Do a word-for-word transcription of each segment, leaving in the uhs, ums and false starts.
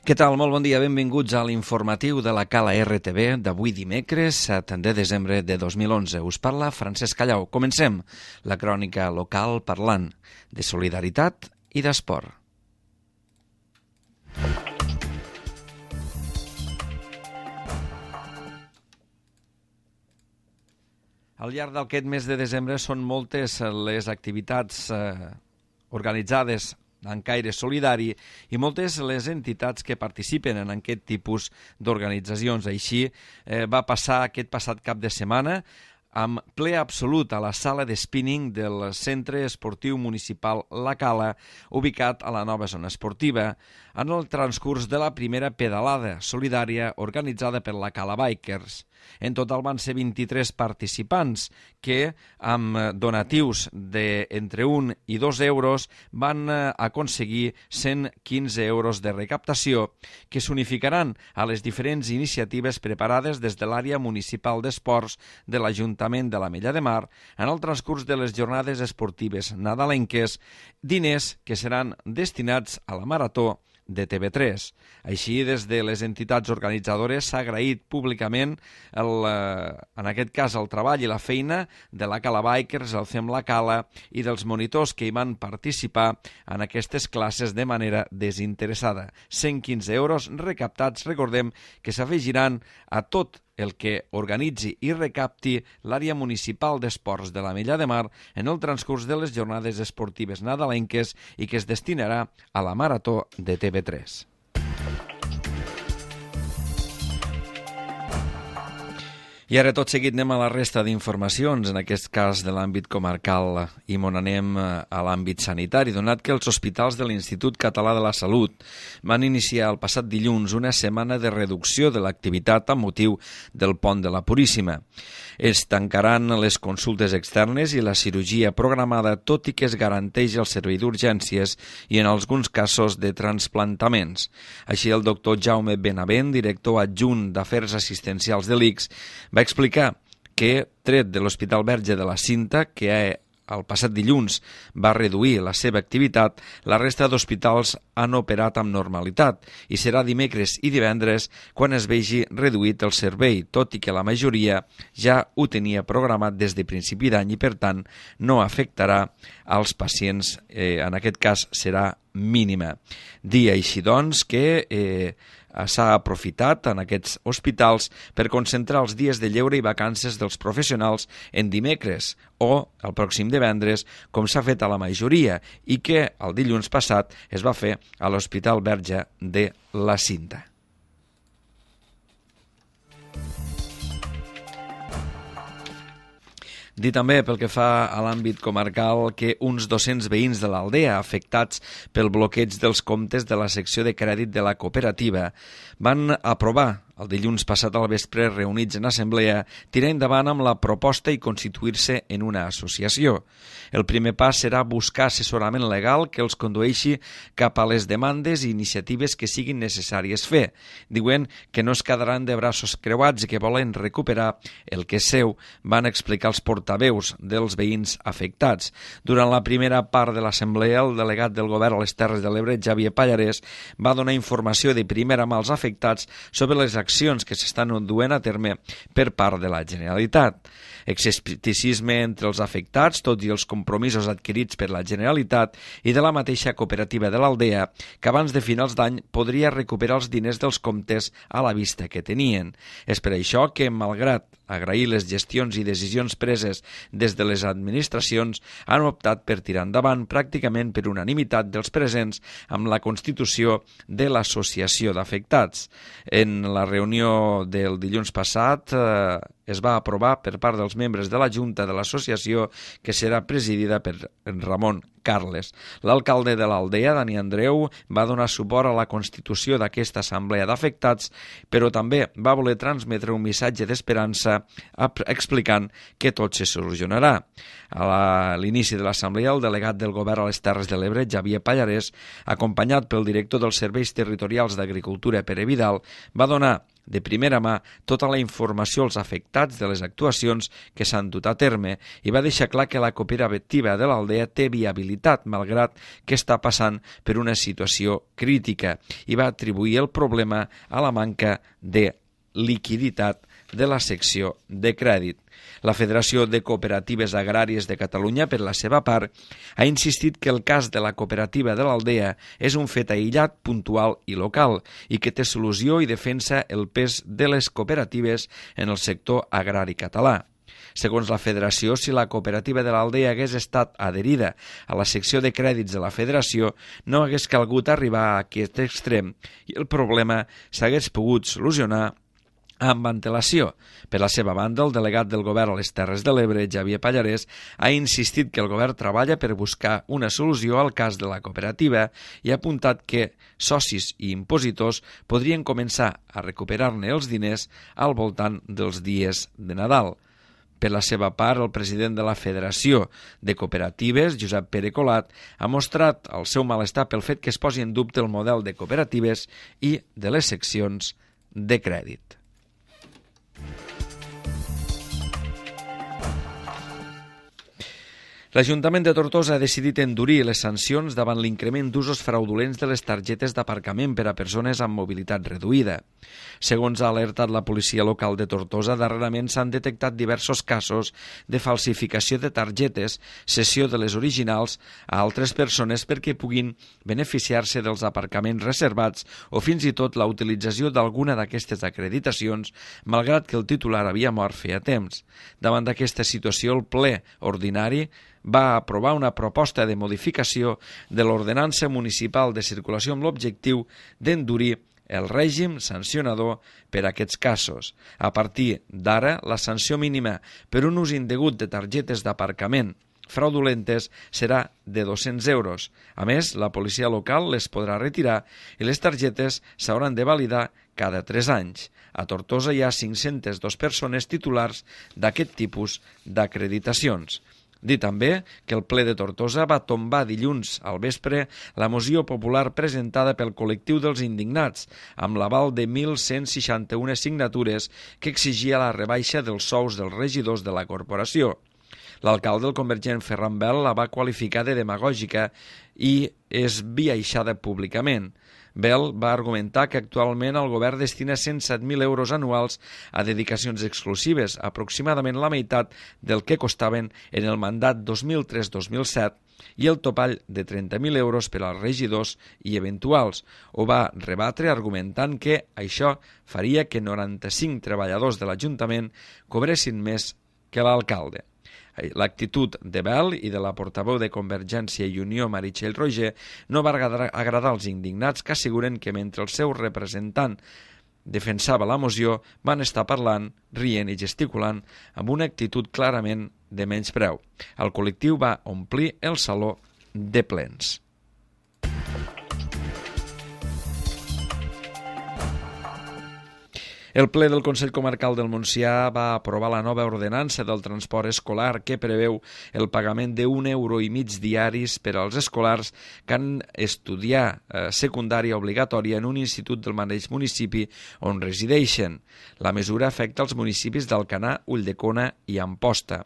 Què tal? Molt bon dia, benvinguts a l'informatiu de la Cala R T V d'avui dimecres, set de desembre de dos mil onze. Us parla Francesc Callau. Comencem la crònica local parlant de solidaritat i d'esport. Al llarg d'aquest mes de desembre són moltes les activitats eh, organitzades en caire solidari i moltes les entitats que participen en aquest tipus d'organitzacions. Així eh, va passar aquest passat cap de setmana amb ple absolut a la sala de spinning del Centre Esportiu Municipal La Cala, ubicat a la nova zona esportiva, en el transcurs de la primera pedalada solidària organitzada per la Cala Bikers. En total van ser vint-i-tres participants que, amb donatius d'entre un i dos euros, van aconseguir cent quinze euros de recaptació que s'unificaran a les diferents iniciatives preparades des de l'àrea municipal d'esports de l'Ajuntament de l'Ametlla de Mar en el transcurs de les jornades esportives nadalenques, diners que seran destinats a la marató de T V tres. Així, des de les entitats organitzadores s'ha agraït públicament, el, en aquest cas, el treball i la feina de la Cala Bikers, el Fem La Cala i dels monitors que hi van participar en aquestes classes de manera desinteressada. cent quinze euros recaptats, recordem, que s'afegiran a tot el que organitzi i recapti l'àrea municipal d'esports de l'Ametlla de Mar en el transcurs de les jornades esportives nadalenques i que es destinarà a la marató de T V tres. I ara tot seguit anem a la resta d'informacions, en aquest cas de l'àmbit comarcal, i on anem a l'àmbit sanitari, donat que els hospitals de l'Institut Català de la Salut van iniciar el passat dilluns una setmana de reducció de l'activitat amb motiu del Pont de la Puríssima. Es tancaran les consultes externes i la cirurgia programada, tot i que es garanteix el servei d'urgències i en alguns casos de transplantaments. Així, el doctor Jaume Benavent, director adjunt d'Afers Assistencials de l'I C S, va explicar que, tret de l'Hospital Verge de la Cinta, que el passat dilluns va reduir la seva activitat, la resta d'hospitals han operat amb normalitat i serà dimecres i divendres quan es vegi reduït el servei, tot i que la majoria ja ho tenia programat des de principi d'any i, per tant, no afectarà als pacients, eh, en aquest cas serà mínima. Dir així, doncs, que eh, s'ha aprofitat en aquests hospitals per concentrar els dies de lleure i vacances dels professionals en dimecres o el pròxim divendres, com s'ha fet a la majoria, i que el dilluns passat es va fer a l'Hospital Verge de la Cinta. Dir també, pel que fa a l'àmbit comarcal, que uns dos-cents veïns de l'Aldea afectats pel bloqueig dels comptes de la secció de crèdit de la cooperativa van aprovar el dilluns passat al vespre, reunits en assemblea, tirar endavant amb la proposta i constituir-se en una associació. El primer pas serà buscar assessorament legal que els condueixi cap a les demandes i iniciatives que siguin necessàries fer. Diuen que no es quedaran de braços creuats i que volen recuperar el que és seu, van explicar els portaveus dels veïns afectats. Durant la primera part de l'assemblea, el delegat del govern a les Terres de l'Ebre, Xavier Pallarès, va donar informació de primera mà als afectats sobre les accions que s'estan duent a terme per part de la Generalitat. Escepticisme entre els afectats, tot i els compromisos adquirits per la Generalitat i de la mateixa cooperativa de l'Aldea, que abans de finals d'any podria recuperar els diners dels comptes a la vista que tenien. És per això que, malgrat agrair les gestions i decisions preses des de les administracions, han optat per tirar endavant pràcticament per unanimitat dels presents amb la constitució de l'associació d'afectats. En la reunió del dilluns passat eh, es va aprovar per part dels membres de la Junta de l'associació, que serà presidida per Ramon Carles. L'alcalde de l'Aldea, Dani Andreu, va donar suport a la constitució d'aquesta assemblea d'afectats, però també va voler transmetre un missatge d'esperança explicant que tot se solucionarà. A l'inici de l'assemblea, el delegat del govern a les Terres de l'Ebre, Xavier Pallarès, acompanyat pel director dels Serveis Territorials d'Agricultura, Pere Vidal, va donar de primera mà tota la informació als afectats de les actuacions que s'han dut a terme i va deixar clar que la cooperativa de l'Aldea té viabilitat, malgrat que està passant per una situació crítica, i va atribuir el problema a la manca de liquiditat de la secció de crèdit. La Federació de Cooperatives Agràries de Catalunya, per la seva part, ha insistit que el cas de la cooperativa de l'Aldea és un fet aïllat, puntual i local i que té solució i defensa el pes de les cooperatives en el sector agrari català. Segons la Federació, si la cooperativa de l'Aldea hagués estat adherida a la secció de crèdits de la Federació, no hagués calgut arribar a aquest extrem i el problema s'hagués pogut solucionar amb antelació. Per la seva banda, el delegat del govern a les Terres de l'Ebre, Xavier Pallarès, ha insistit que el govern treballa per buscar una solució al cas de la cooperativa i ha apuntat que socis i impositors podrien començar a recuperar-ne els diners al voltant dels dies de Nadal. Per la seva part, el president de la Federació de Cooperatives, Josep Pere Colat, ha mostrat el seu malestar pel fet que es posi en dubte el model de cooperatives i de les seccions de crèdit. L'Ajuntament de Tortosa ha decidit endurir les sancions davant l'increment d'usos fraudulents de les targetes d'aparcament per a persones amb mobilitat reduïda. Segons ha alertat la policia local de Tortosa, darrerament s'han detectat diversos casos de falsificació de targetes, cessió de les originals a altres persones perquè puguin beneficiar-se dels aparcaments reservats o fins i tot la utilització d'alguna d'aquestes acreditacions, malgrat que el titular havia mort feia temps. Davant d'aquesta situació, el ple ordinari va aprovar una proposta de modificació de l'Ordenança Municipal de Circulació amb l'objectiu d'endurir el règim sancionador per a aquests casos. A partir d'ara, la sanció mínima per un ús indegut de targetes d'aparcament fraudulentes serà de dos-cents euros. A més, la policia local les podrà retirar i les targetes s'hauran de validar cada tres anys. A Tortosa hi ha cinc-centes dues persones titulars d'aquest tipus d'acreditacions. Dir també que el ple de Tortosa va tombar dilluns al vespre la moció popular presentada pel col·lectiu dels indignats, amb l'aval de mil cent seixanta-u signatures que exigia la rebaixa dels sous dels regidors de la corporació. L'alcalde, el convergent Ferran Bel, la va qualificar de demagògica i esbiaixada públicament. Bel va argumentar que actualment el govern destina cent set mil euros anuals a dedicacions exclusives, aproximadament la meitat del que costaven en el mandat dos mil tres dos mil set, i el topall de trenta mil euros per als regidors i eventuals. Ho va rebatre argumentant que això faria que noranta-cinc treballadors de l'Ajuntament cobressin més que l'alcalde. L'actitud de Bel i de la portaveu de Convergència i Unió, Meritxell Roger, no va agradar als indignats, que asseguren que mentre el seu representant defensava la moció van estar parlant, rient i gesticulant amb una actitud clarament de menyspreu. El col·lectiu va omplir el saló de plens. El ple del Consell Comarcal del Montsià va aprovar la nova ordenança del transport escolar que preveu el pagament d'un euro i mig diaris per als escolars que han estudiat eh, secundària obligatòria en un institut del mateix municipi on resideixen. La mesura afecta els municipis d'Alcanar, Ulldecona i Amposta.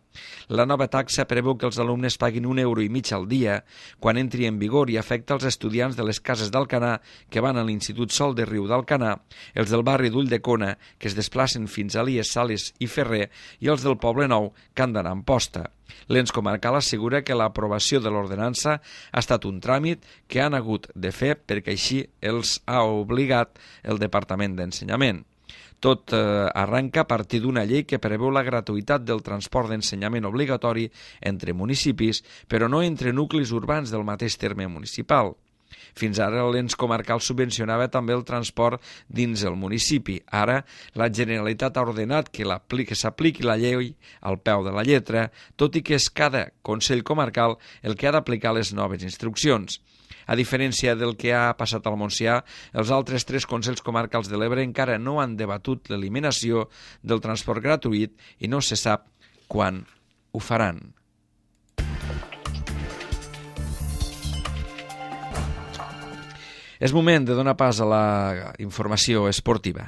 La nova taxa preveu que els alumnes paguin un euro i mig al dia quan entri en vigor i afecta els estudiants de les cases d'Alcanar que van a l'Institut Sol de Riu d'Alcanar, els del barri d'Ulldecona que es desplacen fins a Elies, Sales i Ferrer, i els del Poble Nou que han d'anar a Amposta. L'ens comarcal assegura que l'aprovació de l'ordenança ha estat un tràmit que han hagut de fer perquè així els ha obligat el Departament d'Ensenyament. Tot eh, arranca a partir d'una llei que preveu la gratuïtat del transport d'ensenyament obligatori entre municipis, però no entre nuclis urbans del mateix terme municipal. Fins ara l'ens comarcal subvencionava també el transport dins el municipi. Ara la Generalitat ha ordenat que, que s'apliqui la llei al peu de la lletra, tot i que és cada Consell Comarcal el que ha d'aplicar les noves instruccions. A diferència del que ha passat al Montsià, els altres tres Consells Comarcals de l'Ebre encara no han debatut l'eliminació del transport gratuït i no se sap quan ho faran. És moment de donar pas a la informació esportiva.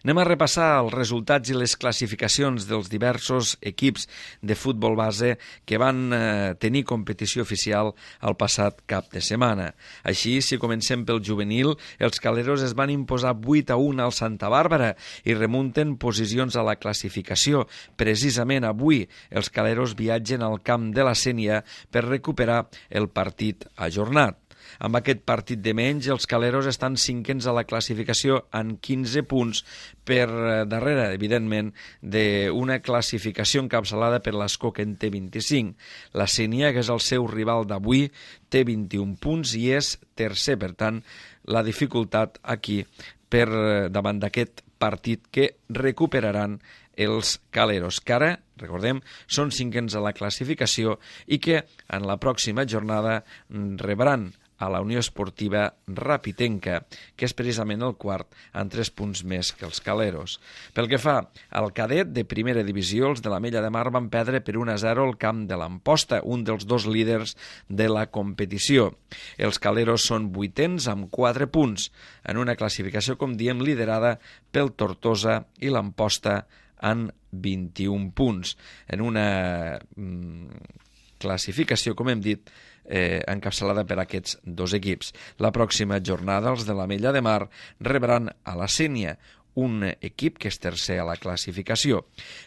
Anem a repassar els resultats i les classificacions dels diversos equips de futbol base que van eh, tenir competició oficial el passat cap de setmana. Així, si comencem pel juvenil, els caleros es van imposar vuit a un al Santa Bàrbara i remunten posicions a la classificació. Precisament avui, els caleros viatgen al camp de la Sénia per recuperar el partit ajornat. Amb aquest partit de menys, els caleros estan cinquens a la classificació en quinze punts per darrere, evidentment, d'una classificació encapçalada per l'Esco, que en té vint-i-cinc. La Sénia, que és el seu rival d'avui, té vint-i-un punts i és tercer. Per tant, la dificultat aquí per davant d'aquest partit que recuperaran els caleros, que ara, recordem, són cinquens a la classificació i que en la pròxima jornada rebran a la Unió Esportiva Rapitenca, que és precisament el quart, amb tres punts més que els caleros. Pel que fa al cadet de primera divisió, els de l'Ametlla de Mar van perdre per un a zero al camp de l'Amposta, un dels dos líders de la competició. Els caleros són vuitens amb quatre punts, en una classificació, com diem, liderada pel Tortosa i l'Amposta en vint-i-un punts. En una mm, classificació, com hem dit, Eh, encapçalada per aquests dos equips. La pròxima jornada els de l'Ametlla de Mar rebran a la Sénia, un equip que és tercer a la classificació.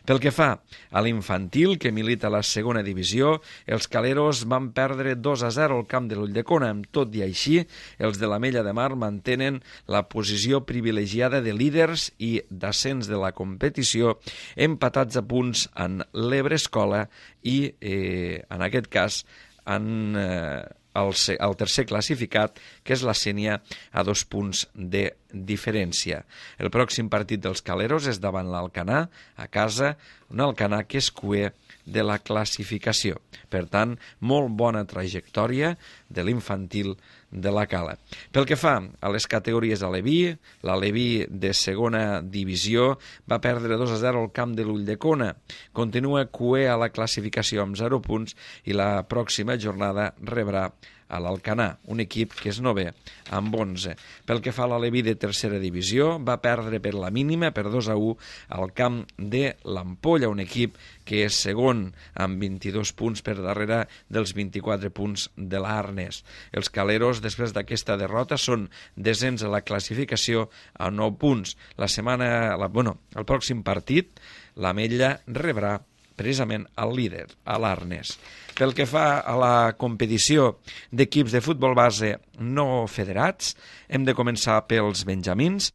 Pel que fa a l'infantil, que milita a la segona divisió, els caleros van perdre dos a zero al camp de l'Ulldecona. Tot i així, els de l'Ametlla de Mar mantenen la posició privilegiada de líders i d'ascens de la competició, empatats a punts en l'Ebre Escola i, eh, en aquest cas, en eh, el, el tercer classificat, que és la Sénia, a dos punts de diferència. El pròxim partit dels caleros és davant l'Alcanar, a casa, un Alcanar que és cuer de la classificació. Per tant, molt bona trajectòria de l'infantil de la Cala. Pel que fa a les categories Aleví, l'Aleví de segona divisió va perdre dos a zero al camp de l'Ulldecona. Continua cuer a la classificació amb zero punts i la pròxima jornada rebrà a l'Alcanar, un equip que és novè amb onze. Pel que fa a l'Aleví de tercera divisió, va perdre per la mínima, per dos a u, al camp de l'Ampolla, un equip que és segon amb vint-i-dos punts per darrere dels vint-i-quatre punts de l'Arnes. Els caleros, després d'aquesta derrota, són desens a la classificació a nou punts. La setmana, la, bueno, el pròxim partit, l'Ametlla rebrà precisament el líder, a l'Arnes. Pel que fa a la competició d'equips de futbol base no federats, hem de començar pels benjamins,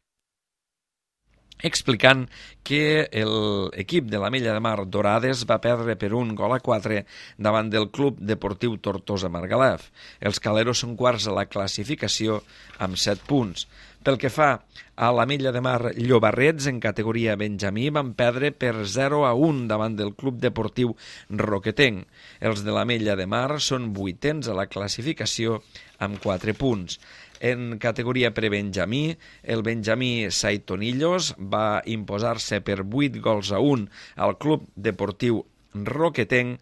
explicant que l'equip de l'Ametlla de Mar Dorades va perdre per un gol a quatre davant del Club Deportiu Tortosa Margalef. Els caleros són quarts a la classificació amb set punts. Pel que fa a l'Ametlla de Mar Llobarrets, en categoria benjamí, van perdre per zero a un davant del Club Deportiu Roquetenc. Els de l'Ametlla de Mar són vuitens a la classificació amb quatre punts. En categoria prebenjamí, el benjamí Saitonillos va imposar-se per vuit gols a un al Club Deportiu Roquetenc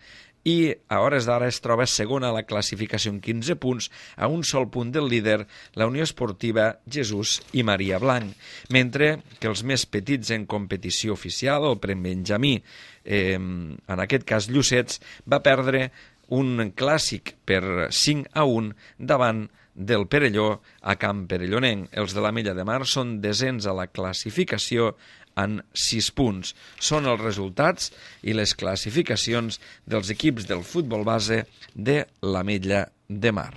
i a hores d'ara es troba segona a la classificació amb quinze punts, a un sol punt del líder, la Unió Esportiva Jesús i Maria Blanc, mentre que els més petits en competició oficial, el prebenjamí, eh, en aquest cas Llucets, va perdre un clàssic per cinc a un davant del Perelló a Camp Perellonenc. Els de l'Ametlla de Mar són desens a la classificació en sis punts. Són els resultats i les classificacions dels equips del futbol base de l'Ametlla de Mar.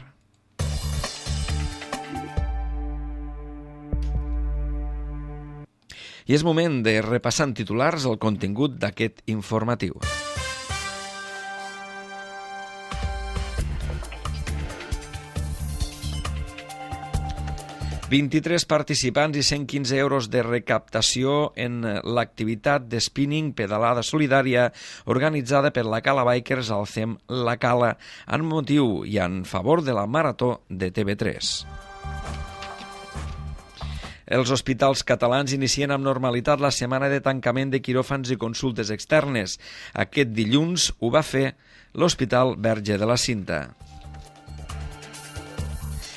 I és moment de repassar en titulars el contingut d'aquest informatiu. vint-i-tres participants i cent quinze euros de recaptació en l'activitat de spinning pedalada solidària organitzada per la Cala Bikers al C E M La Cala en motiu i en favor de la Marató de T V tres. Els hospitals catalans inicien amb normalitat la setmana de tancament de quiròfans i consultes externes. Aquest dilluns ho va fer l'Hospital Verge de la Cinta.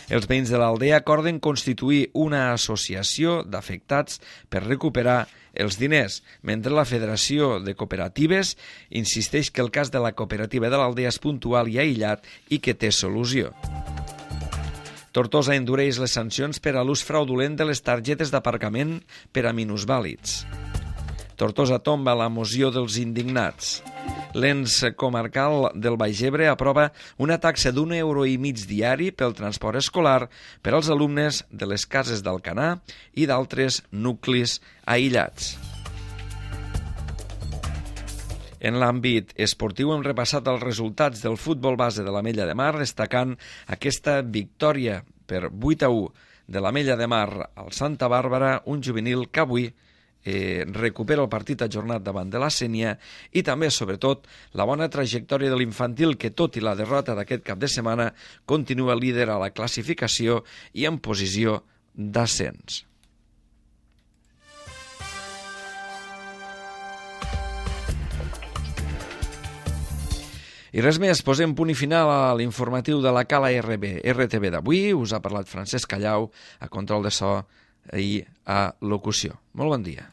Els veïns de l'Aldea acorden constituir una associació d'afectats per recuperar els diners, mentre la Federació de Cooperatives insisteix que el cas de la cooperativa de l'Aldea és puntual i aïllat i que té solució. Tortosa endureix les sancions per a l'ús fraudulent de les targetes d'aparcament per a minusvàlids. Tortosa tomba la moció dels indignats. L'ens comarcal del Baix Ebre aprova una taxa d'un euro i mig diari pel transport escolar per als alumnes de les cases d'Alcanar i d'altres nuclis aïllats. En l'àmbit esportiu hem repassat els resultats del futbol base de l'Ametlla de Mar, destacant aquesta victòria per vuit a u de l'Ametlla de Mar al Santa Bàrbara, un juvenil que avui eh, recupera el partit ajornat davant de la Sénia, i també, sobretot, la bona trajectòria de l'infantil que, tot i la derrota d'aquest cap de setmana, continua líder a la classificació i en posició d'ascens. I res més, posem punt i final a l'informatiu de la Cala R B, R T B d'avui. Us ha parlat Francesc Callau, a control de so i a locució. Molt bon dia.